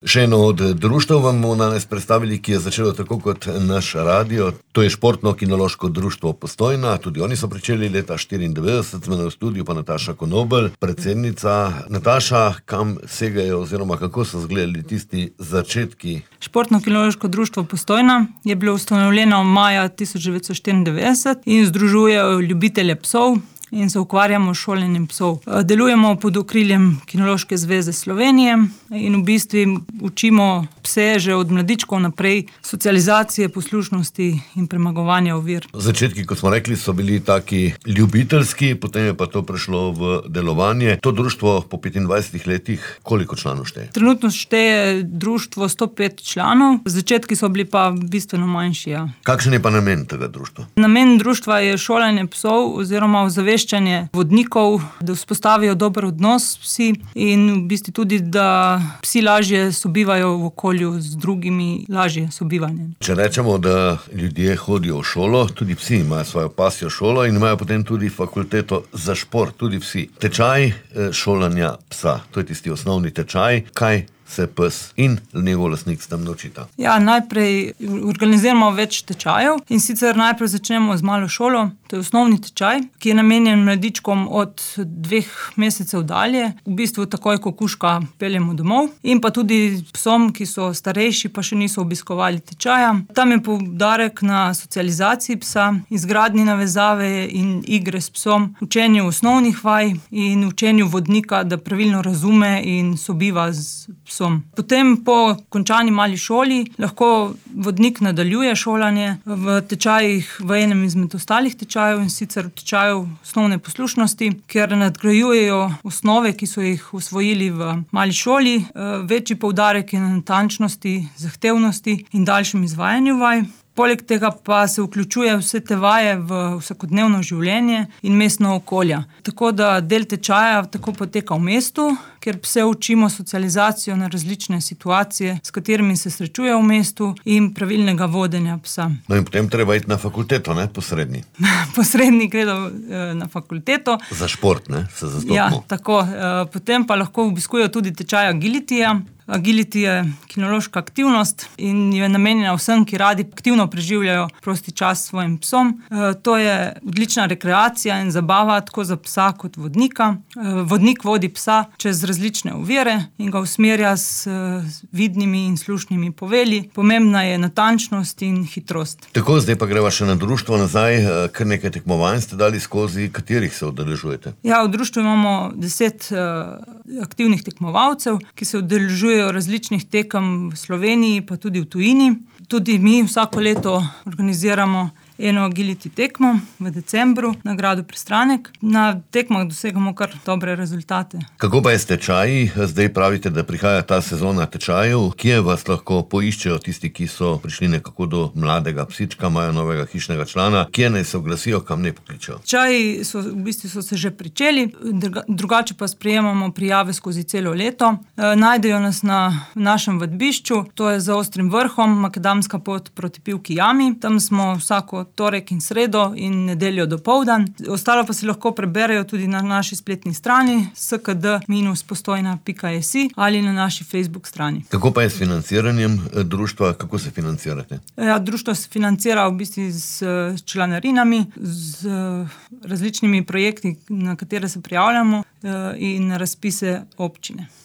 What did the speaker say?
Še eno od društev vam bomo danes predstavili, ki je začelo tako kot naš radio. To je Športno-kinološko društvo Postojna. Tudi oni so pričeli leta 1994, z mano v studiu pa Nataša Konobel, predsednica. Nataša, kam segajo oziroma kako so izgledali tisti začetki? Športno-kinološko društvo Postojna je bilo ustanovljeno maja 1994 in združuje ljubitelje psov in se ukvarjamo s šolanjem psov. Delujemo pod okriljem Kinološke zveze Slovenije in v bistvu učimo pse že od mladičkov naprej socializacije, poslušnosti in premagovanja ovir. Začetki, kot smo rekli, so bili taki ljubiteljski, potem je pa to prešlo v delovanje. To društvo po 25 letih, koliko članov šteje? Trenutno šteje društvo 105 članov, začetki so bili pa bistveno manjši. Ja. Kakšen je pa namen tega društva? Namen društva je šolanje psov oziroma ozaveščanje vodnikov, da vzpostavijo dober odnos s psi in v bistvu tudi, da psi lažje sobivajo v okolju z drugimi, lažje sobivanje. Če rečemo, da ljudje hodijo v šolo, tudi psi imajo svojo pasjo šolo in imajo potem tudi fakulteto za šport, tudi vsi. Tečaj šolanja psa, to je tisti osnovni tečaj, kaj se pes in njegov lastnik s tem naučita? Ja, najprej organiziramo več tečajev in sicer najprej začnemo z malo šolo. To je osnovni tečaj, ki je namenjen mladičkom od 2 mesecev dalje. V bistvu takoj, ko kužka peljemo domov. In pa tudi psom, ki so starejši, pa še niso obiskovali tečaja. Tam je poudarek na socializaciji psa, izgradnji navezave in igre s psom, učenju osnovnih vaj in učenju vodnika, da pravilno razume in sobiva z psom. Potem po končani mali šoli lahko vodnik nadaljuje šolanje v tečajih v enem izmed ostalih tečajev in sicer tečajev osnovne poslušnosti, kjer nadgrajujejo osnove, ki so jih usvojili v mali šoli. Večji poudarek je na natančnosti, zahtevnosti in daljšem izvajanju vaj. Poleg tega pa se vključuje vse te vaje v vsakodnevno življenje in mestno okolje. Tako da del tečaja tako poteka v mestu, kjer pse učimo socializacijo na različne situacije, s katerimi se srečuje v mestu in pravilnega vodenja psa. No in potem treba iti na fakulteto, ne? Posredni. Posredni gredo na fakulteto. Za šport, ne? Se zastopimo. Ja, tako. Potem pa lahko obiskujejo tudi tečaj agilitija. Agility je kinološka aktivnost in je namenjena vsem, ki radi aktivno preživljajo prosti čas s svojim psom. To je odlična rekreacija in zabava tako za psa kot vodnika. Vodnik vodi psa čez različne ovire in ga usmerja s vidnimi in slušnimi poveli. Pomembna je natančnost in hitrost. Tako, zdaj pa greva še na društvo nazaj. Kar nekaj tekmovanj ste dali skozi, katerih se udeležujete? Ja, v društvu imamo 10 aktivnih tekmovalcev, ki se udeležujejo različnih tekem v Sloveniji, pa tudi v tujini. Tudi mi vsako leto organiziramo eno agility tekmo v decembru na gradu Pristranek. Na tekmah dosegamo kar dobre rezultate. Kako pa je s tečaji? Zdaj pravite, da prihaja ta sezona tečajev. Kje vas lahko poiščejo tisti, ki so prišli nekako do mladega psička, imajo novega hišnega člana? Kje naj se oglasijo, kam ne pokličejo? Tečaji so se že pričeli, drugače pa sprejemamo prijave skozi celo leto. Najdejo nas na našem vadbišču, to je za Ostrim vrhom, makadamska pot proti Pivki jami. Tam smo vsako torek in sredo in nedeljo dopoldan. Ostalo pa si lahko preberejo tudi na naši spletni strani skd-postojna.si ali na naši Facebook strani. Kako pa je s financiranjem društva? Kako se financirate? Ja, društvo se financira v bistvu z članarinami, z različnimi projekti, na katere se prijavljamo in na razpise občine.